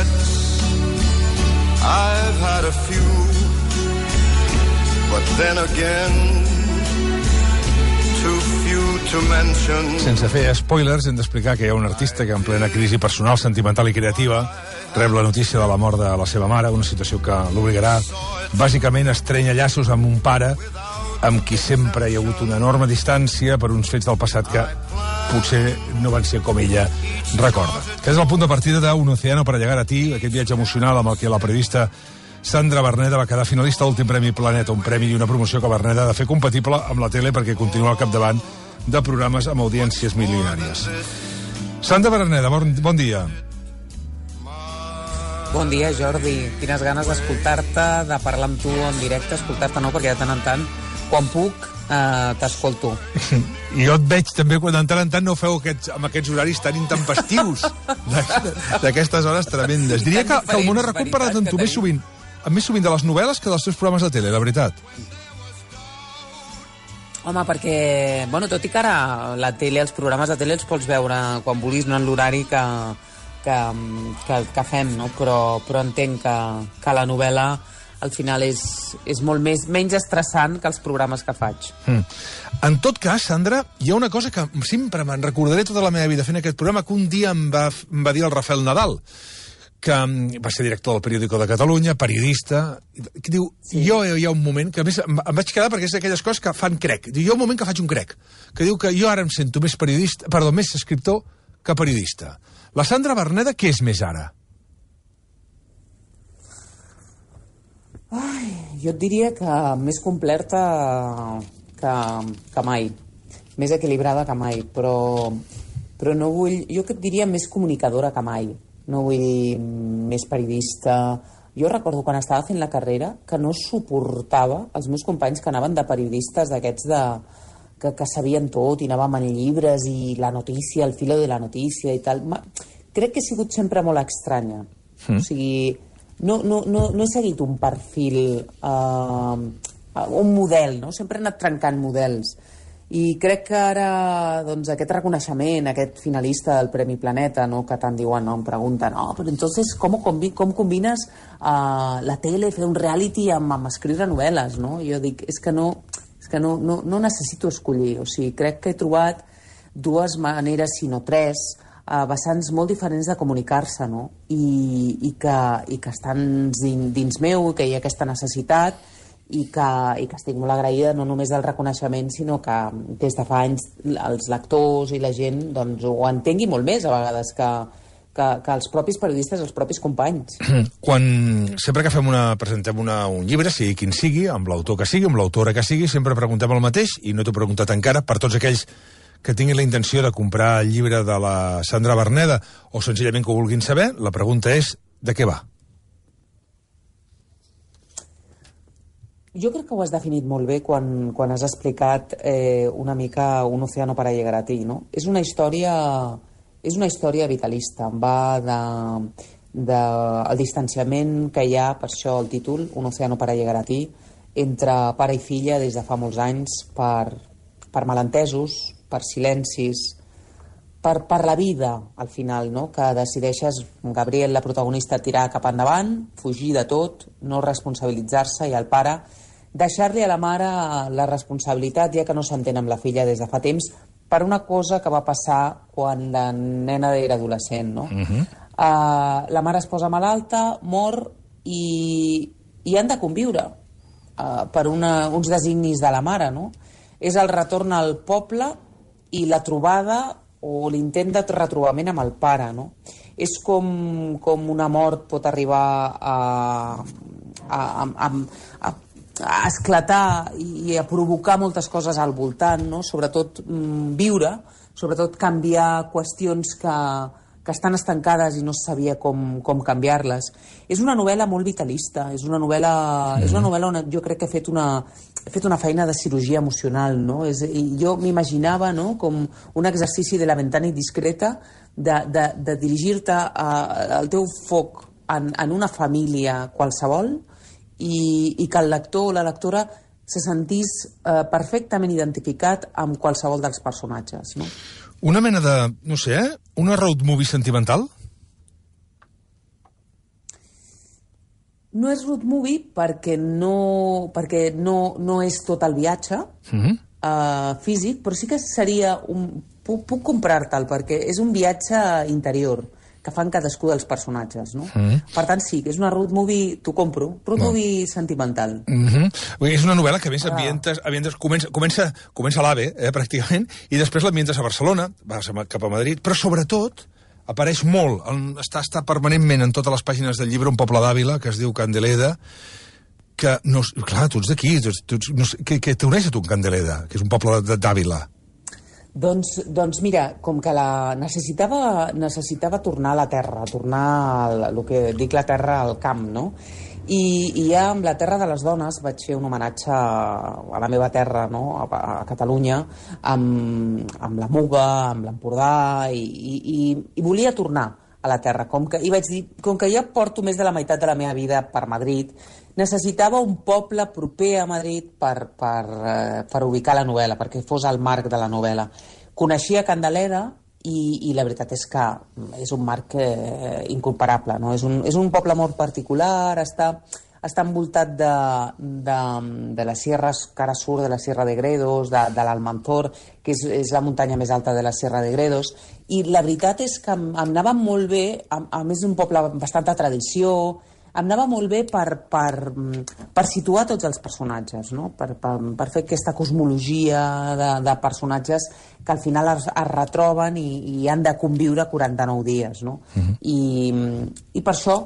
regrets. I've had a few, but then again, too few to mention. Sense fer spoilers, hem d'explicar que hi ha un artista que en plena crisi personal, sentimental i creativa rep la notícia de la mort de la seva mare, una situació que l'obligarà bàsicament a estrènyer llaços amb un pare amb qui sempre hi ha hagut una enorme distància per uns fets del passat que potser no van ser com ella recorda. Que és el punt de partida d'Un Océano para llegar a ti, aquest viatge emocional amb el que la periodista Sandra Berneda va quedar finalista a l'últim Premi Planeta, un premi i una promoció que Berneda ha de fer compatible amb la tele perquè continua al capdavant de programes amb audiències milionàries. Sandra Berneda, bon dia. Bon dia, Jordi. Quines ganes d'escoltar-te, de parlar amb tu en directe, escoltar-te no, perquè de tant en tant, quan puc, t'escolto. I jo et veig també quan de tant en tant no feu amb aquests horaris tan intempestius d'aquestes hores tremendes. Diria que el món ha recuperat amb tu més sovint de les novel·les que dels teus programes de tele, la veritat. Home, perquè, bueno, tot i que ara la tele, els programes de tele els pots veure quan vulguis, no en l'horari que fem, no? Però entenc que la novel·la al final és molt menys estressant que els programes que faig. En tot cas, Sandra, hi ha una cosa que sempre me'n recordaré tota la meva vida fent aquest programa, que un dia em va dir el Rafael Nadal, que va ser director del Periódico de Catalunya, periodista, que diu, sí. Jo hi ha un moment, que a més em vaig quedar perquè és d'aquelles coses que fan crec. Diu, hi ha un moment que faig un crec, que diu que jo ara em sento més escriptor que periodista. La Sandra Berneda, què és més ara? Ai, jo et diria que més completa que mai, més equilibrada que mai, però no vull... Jo que et diria més comunicadora que mai, no vull dir més periodista. Jo recordo quan estava fent la carrera que no suportava els meus companys que anaven de periodistes d'aquests que sabien tot i anàvem en llibres i la notícia, el filo de la notícia i tal. Crec que he sigut sempre molt estranya. O sigui... No he seguit un perfil, un model, no? Sempre he anat trencant models. I crec que ara, doncs, aquest reconeixement, aquest finalista del Premi Planeta, no? Que tant diuen, no? Em pregunten, però entonces, com combines la tele, fer un reality amb escriure novel·les, no? Jo dic, és que no necessito escollir. O sigui, crec que he trobat dues maneres, si no tres, vessants molt diferents de comunicar-se, no? I que estan dins meu, que hi ha aquesta necessitat i que estic molt agraïda no només del reconeixement, sinó que des de fa anys els lectors i la gent doncs, ho entengui molt més a vegades que els propis periodistes, els propis companys. Sempre que presentem un llibre, sigui quin sigui, amb l'autor que sigui, amb l'autora que sigui, sempre preguntem el mateix, i no t'ho he preguntat encara, per tots aquells que tinguin la intenció de comprar el llibre de la Sandra Berneda o senzillament que ho vulguin saber, la pregunta és de què va? Jo crec que ho has definit molt bé quan has explicat una mica Un océano para llegar a ti, no? És una història vitalista, va del distanciament que hi ha, per això el títol, Un océano para llegar a ti, entre pare i filla des de fa molts anys per malentesos, per silencis, per la vida, al final, no? Que decideixes, Gabriel, la protagonista, tirar cap endavant, fugir de tot, no responsabilitzar-se, i el pare deixar-li a la mare la responsabilitat, ja que no s'entén amb la filla des de fa temps, per una cosa que va passar quan la nena era adolescent, no? La mare es posa malalta, mor, i han de conviure per uns designis de la mare, no? És el retorn al poble i la trobada o l'intent de retrobament amb el pare, no? És com una mort pot arribar a esclatar i a provocar moltes coses al voltant, no? Sobretot viure, sobretot canviar qüestions que estan estancades i no es sabia com canviar-les. És una novel·la molt vitalista, és una novel·la on jo crec que he fet una feina de cirurgia emocional, no? Jo m'imaginava, no?, com un exercici de la ventana indiscreta de dirigir-te al teu foc en una família qualsevol i que el lector o la lectora se sentís perfectament identificat amb qualsevol dels personatges, no? Una mena de, no sé, una road movie sentimental? No és road movie perquè no és tot el viatge físic, però sí que seria puc comprar-te'l perquè és un viatge interior que fan cadascú dels personatges, no? Per tant, sí, és una road movie, t'ho compro, road movie sentimental. És una novel·la que a més comença a l'AVE, pràcticament, i després l'ambientes a Barcelona, vas cap a Madrid, però sobretot apareix molt, està permanentment en totes les pàgines del llibre un poble d'Àvila que es diu Candeleda, que, clar, tu ets d'aquí, que t'uneix a tu Candeleda, que és un poble d'Àvila. Doncs mira, com que necessitava tornar a la terra, tornar el que dic la terra al camp, no? I ja amb la Terra de les Dones vaig fer un homenatge a la meva terra, no? A Catalunya, amb la Muga, amb l'Empordà, i volia tornar a la terra. I vaig dir, com que ja porto més de la meitat de la meva vida per Madrid, necessitava un poble proper a Madrid per ubicar la novel·la, perquè fos el marc de la novel·la. Coneixia Candeleda i la veritat és que és un marc incomparable, no? És un poble molt particular, està envoltat de les sierres, que ara surt de la Sierra de Gredos, de l'Almanzor, que és la muntanya més alta de la Sierra de Gredos, i la veritat és que em anava molt bé, a més d'un poble bastant de tradició, em anava molt bé per situar tots els personatges, no? Per fer aquesta cosmologia de personatges que al final es retroben i han de conviure 49 dies, no? I per això,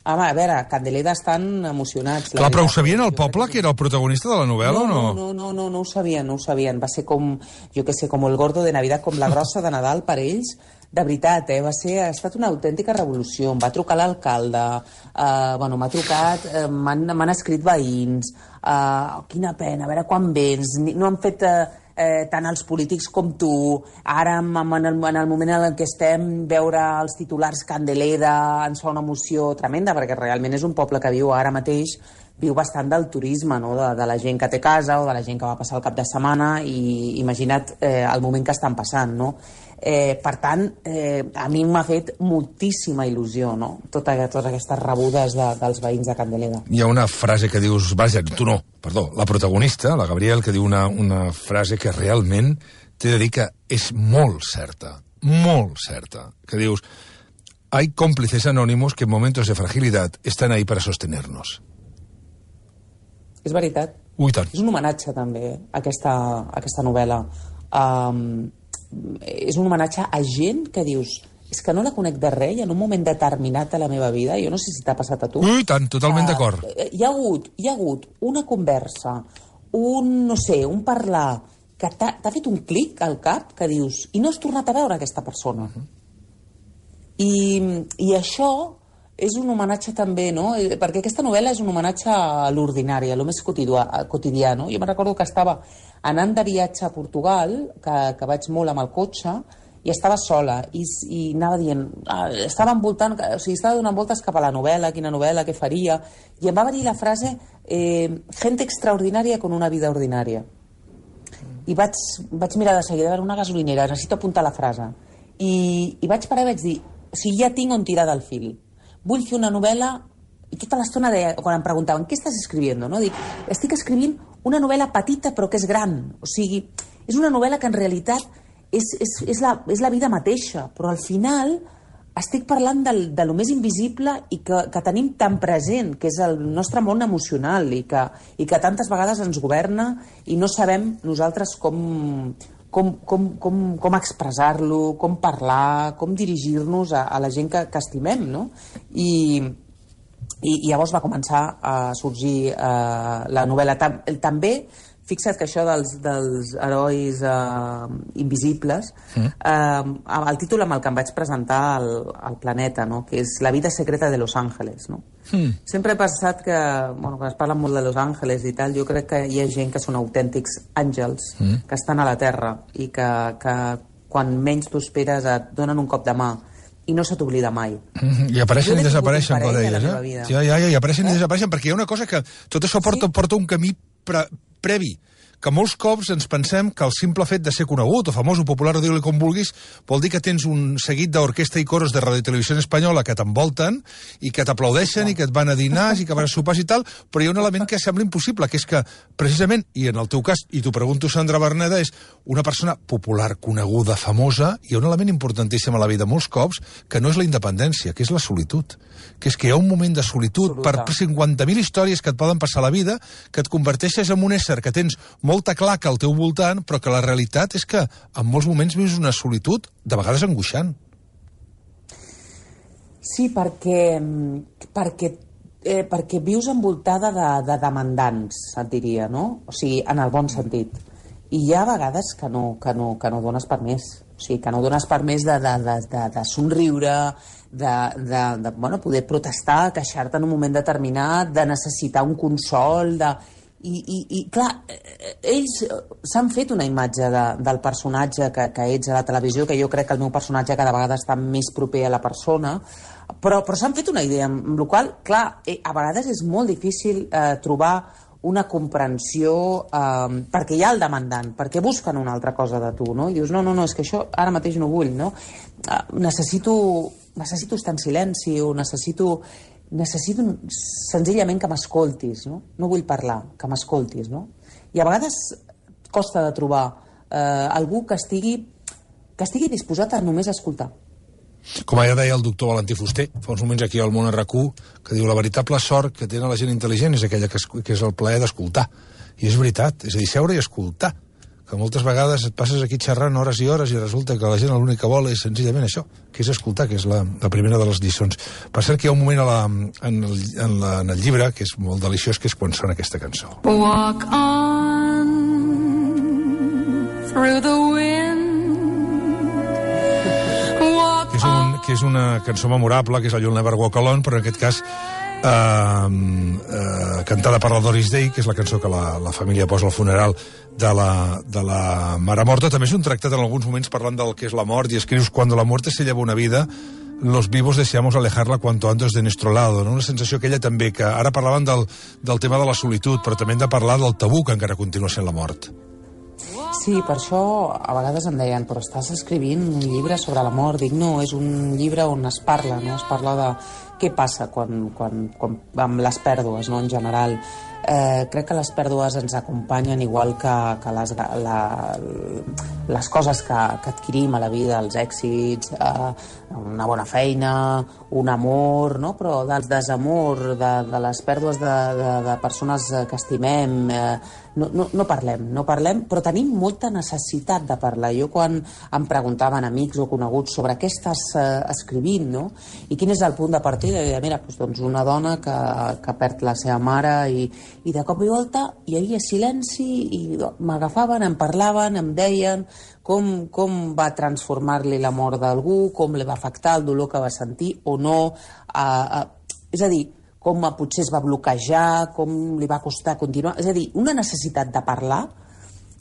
a veure, Candeleda estan emocionats. Clar, però ho sabien el poble, que era el protagonista de la novel·la, o no? No ho sabien. Va ser com, jo què sé, com el gordo de Navidad, com la grossa de Nadal per ells. De veritat, ha estat una autèntica revolució. Em va trucar l'alcalde, m'ha trucat, m'han escrit veïns, quina pena, a veure quan vens, no han fet tant els polítics com tu, ara en el moment en què estem, veure els titulars Candeleda ens fa una emoció tremenda, perquè realment és un poble que viu bastant del turisme, no? De la gent que té casa o de la gent que va passar el cap de setmana, i imagina't el moment que estan passant, no? Per tant, a mi m'ha fet moltíssima il·lusió, no? Totes aquestes rebudes dels veïns de Candeleda. Hi ha una frase que dius, vaja, tu no, perdó, la protagonista, la Gabriel, que diu una frase que realment t'he de dir que és molt certa, que dius, hay cómplices anónimos que en momentos de fragilidad están ahí para sostenernos. És veritat. Ui, tant. És un homenatge, també, a aquesta novel·la. És un homenatge a gent que dius, és que no la conec de res, i en un moment determinat de la meva vida, jo no sé si t'ha passat a tu. Ui, tant, totalment d'acord. Hi ha hagut una conversa, un parlar, que t'ha fet un clic al cap, que dius, i no has tornat a veure aquesta persona. I això és un homenatge també, no? Perquè aquesta novel·la és un homenatge a l'ordinari, a lo més quotidià, no? Jo me'n recordo que estava anant de viatge a Portugal, que vaig molt amb el cotxe, i estava sola, i anava dient, estava donant voltes cap a la novel·la, quina novel·la, què faria, i em va venir la frase gente extraordinària con una vida ordinària. I vaig mirar de seguida, a veure, una gasolinera, necessito apuntar la frase. I vaig parar i vaig dir, o sigui, ja tinc on tirar del fil. Vull fer una novel·la, i tota l'estona quan em preguntaven, què estàs escrivint? No? Dic, estic escrivint una novel·la petita però que és gran. O sigui, és una novel·la que en realitat és la vida mateixa, però al final estic parlant de lo més invisible i que tenim tan present, que és el nostre món emocional, i que tantes vegades ens governa i no sabem nosaltres com expressar-lo, com parlar, com dirigir-nos a la gent que estimem, no? I llavors va començar a sorgir la novel·la. També, fixa't que això dels herois invisibles, el títol amb el que em vaig presentar al Planeta, no? Que és La vida secreta de Los Ángeles, no? Sempre he pensat que, quan es parla molt de Los Ángeles i tal, jo crec que hi ha gent que són autèntics àngels, que estan a la Terra i que quan menys t'ho esperes et donen un cop de mà i no se t'oblida mai. I apareixen i desapareixen, com deies, Ja, i apareixen i desapareixen, perquè hi ha una cosa que tot això porta un camí previ, que molts cops ens pensem que el simple fet de ser conegut o famós o popular, o digue-li com vulguis, vol dir que tens un seguit d'orquestra i coros de Ràdio i Televisió Espanyola que t'envolten i que t'aplaudeixen i que et van a dinars i que van a sopars i tal, però hi ha un element que sembla impossible, que és que, precisament, i en el teu cas, i t'ho pregunto, Sandra Berneda, és una persona popular, coneguda, famosa, hi ha un element importantíssim a la vida molts cops, que no és la independència, que és la solitud, que és que hi ha un moment de solitud per 50.000 històries que et poden passar a la vida, que et converteixes en un ésser que tens molta claca al teu voltant, però que la realitat és que en molts moments vius una solitud, de vegades angoixant. Sí, perquè vius envoltada de demandants, et diria, no? O sigui, en el bon sentit. I hi ha vegades que no dones per més. O sigui, que no dones per més de somriure, de poder protestar, queixar-te en un moment determinat, de necessitar un consol, I clar, ells s'han fet una imatge del personatge que ets a la televisió, que jo crec que el meu personatge cada vegada està més proper a la persona, però s'han fet una idea, amb la qual cosa, clar, a vegades és molt difícil trobar una comprensió perquè hi ha el demandant, perquè busquen una altra cosa de tu, no? I dius, no, és que això ara mateix no vull, no? Necessito estar en silenci o necessito senzillament que m'escoltis, no? No vull parlar, que m'escoltis, no? I a vegades costa de trobar algú que estigui disposat a només escoltar. Com ja deia el doctor Valentí Fuster, fa uns moments aquí al Món RQ, que diu la veritable sort que té la gent intel·ligent és aquella que és el plaer d'escoltar. I és veritat, és a dir, seure i escoltar. Que moltes vegades et passes aquí xerrant hores i hores i resulta que la gent l'únic que vol és senzillament això, que és escoltar, que és la primera de les lliçons. Per cert que hi ha un moment en el llibre que és molt deliciós, que és quan sona aquesta cançó. Walk on through the wind. Que és una cançó memorable, que és la You'll Never Walk Alone, però en aquest cas cantada per la Doris Day, que és la cançó que la família posa al funeral de la mare morta. També és un tractat en alguns moments parlant del que és la mort, i escrius: cuando la muerte se lleva una vida, los vivos deseamos alejarla cuanto antes de nuestro lado, no? Una sensació aquella també, que ara parlaven del tema de la solitud, però també hem de parlar del tabú que encara continua sent la mort. Sí, per això a vegades em deien, però estàs escrivint un llibre sobre la mort. Dic, no, és un llibre on es parla, no? Es parla de què passa quan amb les pèrdues, no? En general. Crec que les pèrdues ens acompanyen igual que les coses que adquirim a la vida, els èxits, una bona feina, un amor, no? Però del desamor, de les pèrdues de persones que estimem, no parlem, però tenim molta necessitat de parlar. Jo quan em preguntaven amics o coneguts sobre què estàs escrivint, no? I quin és el punt de partida, i deia, mira, doncs una dona que perd la seva mare i de cop i volta hi havia silenci i m'agafaven, em parlaven, em deien com va transformar-li la mort d'algú, com li va afectar el dolor que va sentir o no, és a dir, com potser es va bloquejar, com li va costar continuar, és a dir, una necessitat de parlar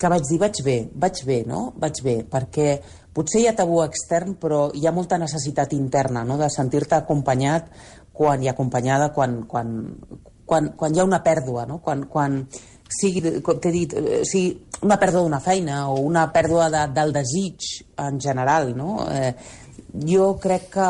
que vaig dir, vaig bé, perquè potser hi ha tabú extern, però hi ha molta necessitat interna, no?, de sentir-te acompanyat i acompanyada quan hi ha una pèrdua, no? Quan sigui, com t'he dit, una pèrdua d'una feina o una pèrdua del desig en general, no? Jo crec que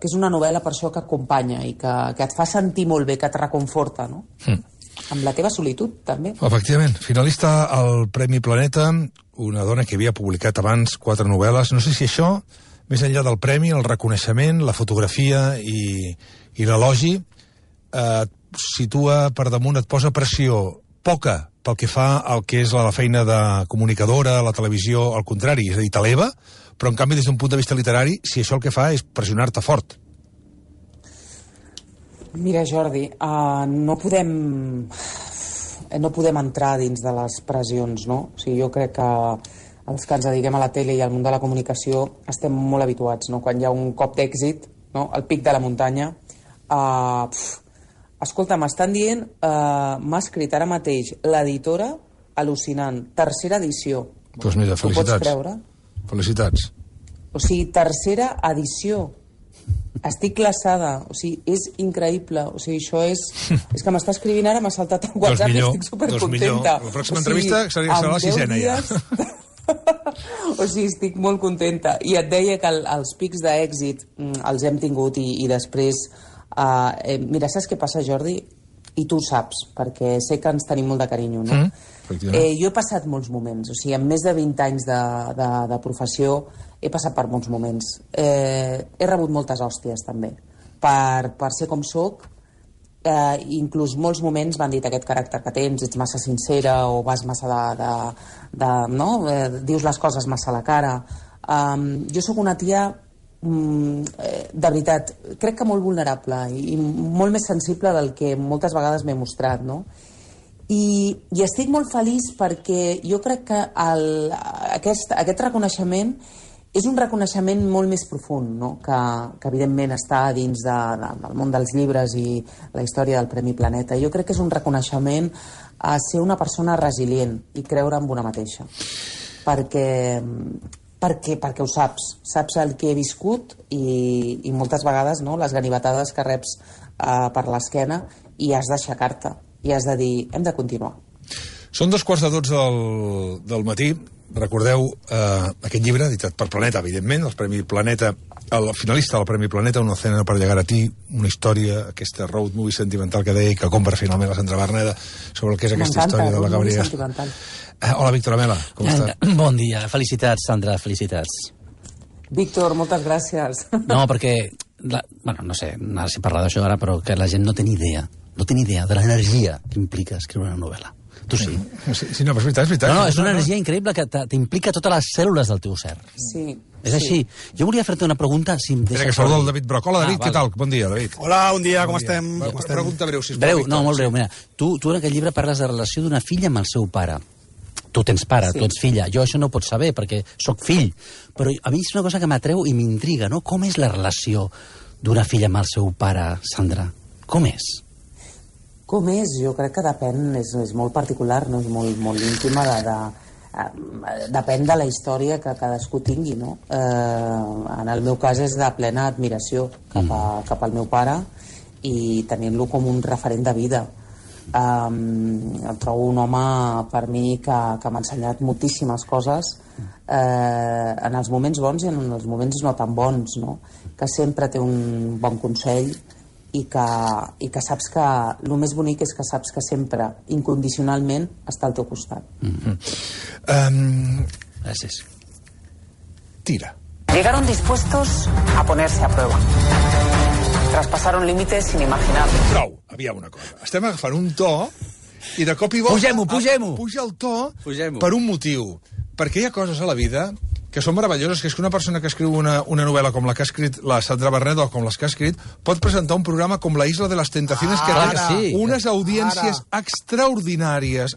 és una novel·la per això que acompanya i que et fa sentir molt bé, que et reconforta, no? Amb la teva solitud, també. Efectivament. Finalista al Premi Planeta, una dona que havia publicat abans 4 novel·les. No sé si això, més enllà del premi, el reconeixement, la fotografia i l'elogi, situa per damunt, et posa pressió poca pel que fa al que és la feina de comunicadora, la televisió, al contrari, és a dir, t'eleva, però en canvi des d'un punt de vista literari, si això el que fa és pressionar-te fort. Mira, Jordi, no podem entrar dins de les pressions, no? O sigui, jo crec que els que ens dediquem a la tele i al món de la comunicació estem molt habituats, no? Quan hi ha un cop d'èxit, no?, al pic de la muntanya, escolta, m'estan dient, m'ha escrit ara mateix l'editora, al·lucinant, 3a edició. Doncs mira, felicitats. Ho pots creure? Felicitats. O sigui, 3a edició. Estic glaçada, o sigui, és increïble. O sigui, això és... És que m'està escrivint ara, m'ha saltat el WhatsApp i estic supercontenta. La pròxima entrevista serà la sisena, ja. O sigui, estic molt contenta. I et deia que els pics d'èxit els hem tingut i després... Mira, saps què passa, Jordi? I tu ho saps, perquè sé que ens tenim molt de carinyo, no? Jo he passat molts moments, o sigui, en més de 20 anys de professió he passat per molts moments. He rebut moltes hòsties, també, per ser com soc. Inclús molts moments m'han dit aquest caràcter que tens, ets massa sincera o vas massa no? Dius les coses massa a la cara. Jo sóc una tia de veritat, crec que molt vulnerable i molt més sensible del que moltes vegades m'he mostrat, no? I estic molt feliç perquè jo crec que aquest reconeixement és un reconeixement molt més profund, no? Que evidentment està dins del món dels llibres i la història del Premi Planeta. Jo crec que és un reconeixement a ser una persona resilient i creure en una mateixa. Perquè ho saps el que he viscut i moltes vegades, no, les ganivetades que reps per l'esquena, i has d'aixecar-te i has de dir, hem de continuar. Són 2:45 del matí. Recordeu aquest llibre, editat per Planeta, evidentment, el Premi Planeta, el finalista del Premi Planeta, Un océano para llegar a ti, una història, aquesta road movie sentimental que deia i que compra finalment la Sandra Berneda sobre el que és aquesta història de la Gabriela. Hola, Víctor Amela, com està? Bon dia, felicitats, Sandra, felicitats. Víctor, moltes gràcies. No, perquè, no sé, ara sí parlar d'això ara, però que la gent no té ni idea de l'energia que implica escriure una novel·la. Tu sí. Sí, no, però és veritat. No, és una energia increïble que t'implica totes les cèl·lules del teu ser. Sí. És així. Jo volia fer-te una pregunta, si em deixes... Que saluda el David Broc. Hola, David, què tal? Bon dia, David. Hola, bon dia, com estem? Pregunta breu, sisplau. Breu, no, molt breu. Mira, tu en aquest llibre parles de relació d'una filla amb el seu pare. Tu tens pare, tu ets filla. Jo això no ho pots saber, perquè sóc fill. Però a mi és una cosa que m'atreu i m'intriga, no? Com és la relació d'una filla amb el seu pare, Sandra? Com és? Com és? Jo crec que depèn, és molt particular, no? És molt íntima, depèn de la història que cadascú tingui, no? En el meu cas és de plena admiració cap al meu pare i tenint-lo com un referent de vida. Em trobo un home, per mi, que m'ha ensenyat moltíssimes coses en els moments bons i en els moments no tan bons, no? Que sempre té un bon consell i que saps que el més bonic és que saps que sempre, incondicionalment, està al teu costat. Gràcies. Tira. Llegaron dispuestos a ponerse a prueba. Traspasaron límites inimaginables. Prou, aviam una cosa. Estem agafant un to i de cop i volta... Pugem-ho. Puja el to per un motiu. Perquè hi ha coses a la vida que són meravelloses, que és que una persona que escriu una novel·la com la que ha escrit la Sandra Berneda o com les que ha escrit, pot presentar un programa com La Isla de les Tentaciones, que té unes audiències extraordinàries,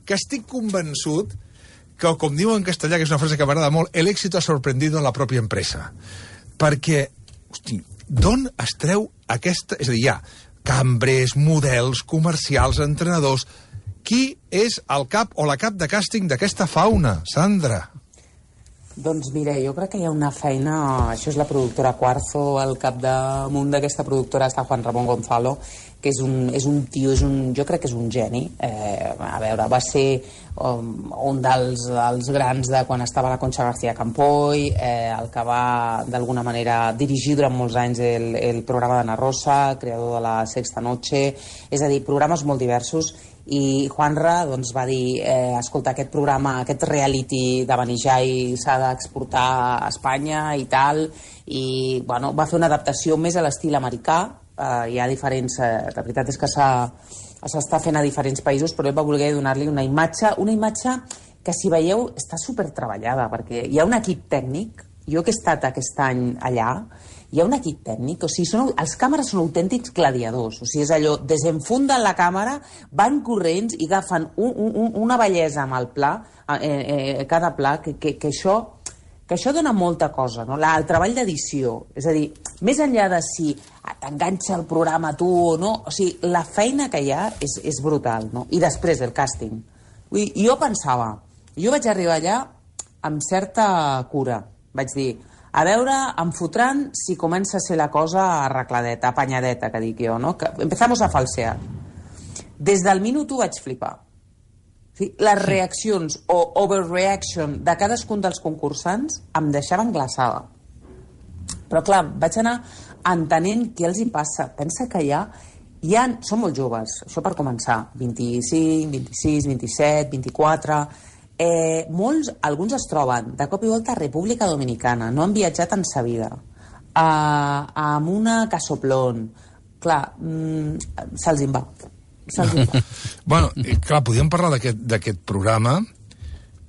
que estic convençut que, com diu en castellà, que és una frase que m'agrada molt, el éxito ha sorprendido en la pròpia empresa. Perquè, hosti, d'on es treu aquesta... És a dir, hi ha cambrers, models, comercials, entrenadors... Qui és el cap o la cap de càsting d'aquesta fauna, Sandra? Doncs mira, jo crec que hi ha una feina... Això és la productora Cuarzo, al capdamunt d'aquesta productora està Juan Ramón Gonzalo, que és un tio, jo crec que és un geni. A veure, va ser un dels grans de quan estava la Concha García Campoy, el que va, d'alguna manera, dirigir durant molts anys el programa d'Ana Rosa, creador de la Sexta Noche, és a dir, programes molt diversos. I Juanra doncs, va dir escolta, aquest programa, aquest reality de Benijai s'ha d'exportar a Espanya i tal, i bueno, va fer una adaptació més a l'estil americà. Hi ha diferents... la veritat és que s'està fent a diferents països, però ell va voler donar-li una imatge que, si veieu, està supertreballada, perquè hi ha un equip tècnic. Jo que he estat aquest any allà, hi ha un equip tècnic, o sigui, els càmeres són autèntics gladiadors, o sigui, és allò, desenfunden la càmera, van corrents i agafen una bellesa amb el pla, cada pla, que això dona molta cosa, no? El treball d'edició, és a dir, més enllà de si t'enganxa el programa tu o no, o sigui, la feina que hi ha és brutal, no? I després el càsting. Vull dir, jo vaig arribar allà amb certa cura. Vaig dir, A veure, em fotran si comença a ser la cosa arregladeta, apanyadeta, que dic jo, no? Que empezamos a falsear. Des del minut 1 vaig flipar. Sí, les reaccions o overreaction de cadascun dels concursants em deixaven glaçada. Però clar, vaig anar entenent què els hi passa. Pensa que són molt joves, això per començar, 25, 26, 27, 24... alguns es troben de cop i volta a República Dominicana, no han viatjat en sa vida, amb una casoplón. Clar, se'ls en va. Bueno, clar, podíem parlar d'aquest programa,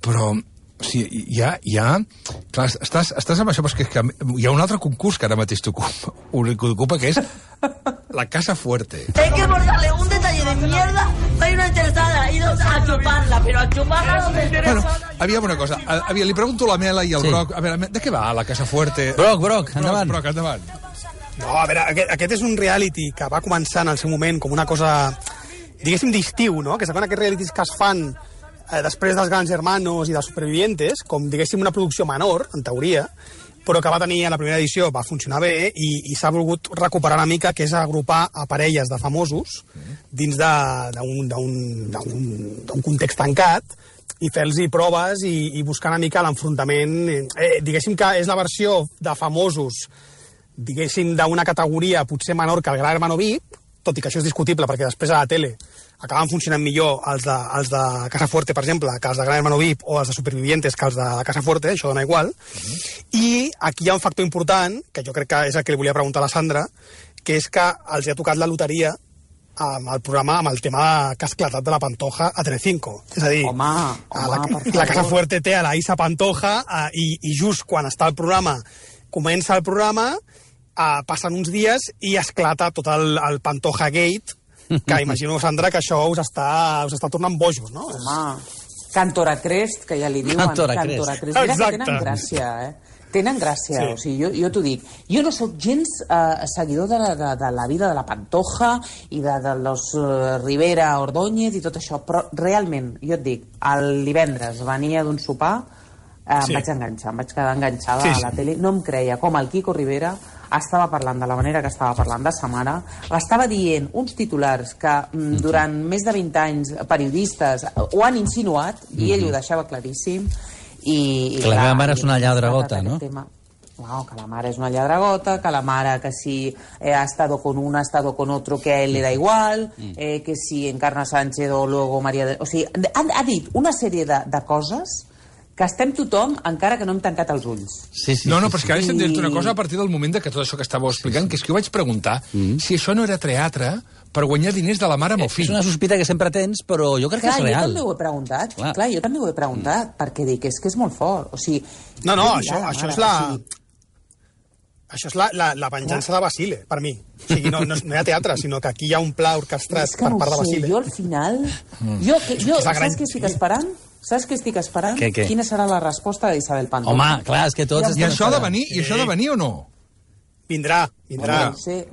però o sigui, clar, estàs amb això, però és que hi ha un altre concurs que ara mateix t'ocupa, que és la Casa Fuerte. Hay que bordarle un detalle de mierda, hay una interesada, y dos a chuparla, pero a chuparla donde interesa. Bueno, aviam una cosa, li pregunto a la Mela i al Broc, a veure, de què va la Casa Fuerte? Broc, endavant. Broc, endavant. No, a veure, aquest és un reality que va començar en el seu moment com una cosa, diguéssim, d'estiu, no? Que saben aquests realities que es fan després dels Grans Hermanos i dels Supervivientes, com, diguéssim, una producció menor, en teoria, però que va tenir a la primera edició, va funcionar bé, i s'ha volgut recuperar una mica, que és agrupar a parelles de famosos dins d'un context tancat, i fer-los proves i buscar una mica l'enfrontament. Diguéssim que és la versió de famosos, diguéssim, d'una categoria potser menor que el Gran Hermano VIP, tot i que això és discutible, perquè després a la tele acaben funcionant millor els de Casa Fuerte, per exemple, que els de Gran Hermano VIP, o els de Supervivientes que els de Casa Fuerte, això dona igual. I aquí hi ha un factor important, que jo crec que és el que li volia preguntar a la Sandra, que és que els ha tocat la loteria amb el programa, amb el tema que ha esclatat de la Pantoja a Telecinco. És a dir, la Casa Fuerte té a la Isa Pantoja i just quan està el programa, comença el programa, passen uns dies i esclata tot el Pantoja Gate, que imagino, Sandra, que això us està tornant bojos, no? Home, Cantora Crest, que ja li diuen. Cantora Crest. Mira que tenen gràcia, Tenen gràcia, sí. O sigui, jo t'ho dic. Jo no sóc gens seguidor de la vida de la Pantoja i de los Rivera Ordóñez i tot això, però realment, jo et dic, el divendres venia d'un sopar, em vaig enganxar, em vaig quedar enganxada a la tele, no em creia com el Quico Rivera estava parlant de la manera que estava parlant de sa mare, estava dient uns titulars que durant més de 20 anys periodistes ho han insinuat i ell ho deixava claríssim. I que la mare és una lladregota, no? No, que la mare és una lladregota, que la mare que si ha estado con una, ha estado con otro, que a él le da igual, que si Encarna Sánchez o luego María... O sigui, ha dit una sèrie de coses que estem tothom, encara que no hem tancat els ulls. No, però és que ara estem dient una cosa a partir del moment que tot això que estàveu explicant, que és que jo vaig preguntar si això no era teatre per guanyar diners de la mare amb el fill. És una sospita que sempre tens, però jo crec que és real. Jo també ho he preguntat, jo també ho he preguntat, perquè dic, és que és molt fort. O sigui, no, això és Això és la venjança de Basile, per mi. O sigui, no hi ha teatre, sinó que aquí hi ha un pla orquestrat per part de Basile. Jo al final... Saps què estic esperant? Saps què estic esperant? Quina serà la resposta d'Isabel Pantoja? Home, clar, és que tots... I això ha de venir o no? Vindrà. No sé.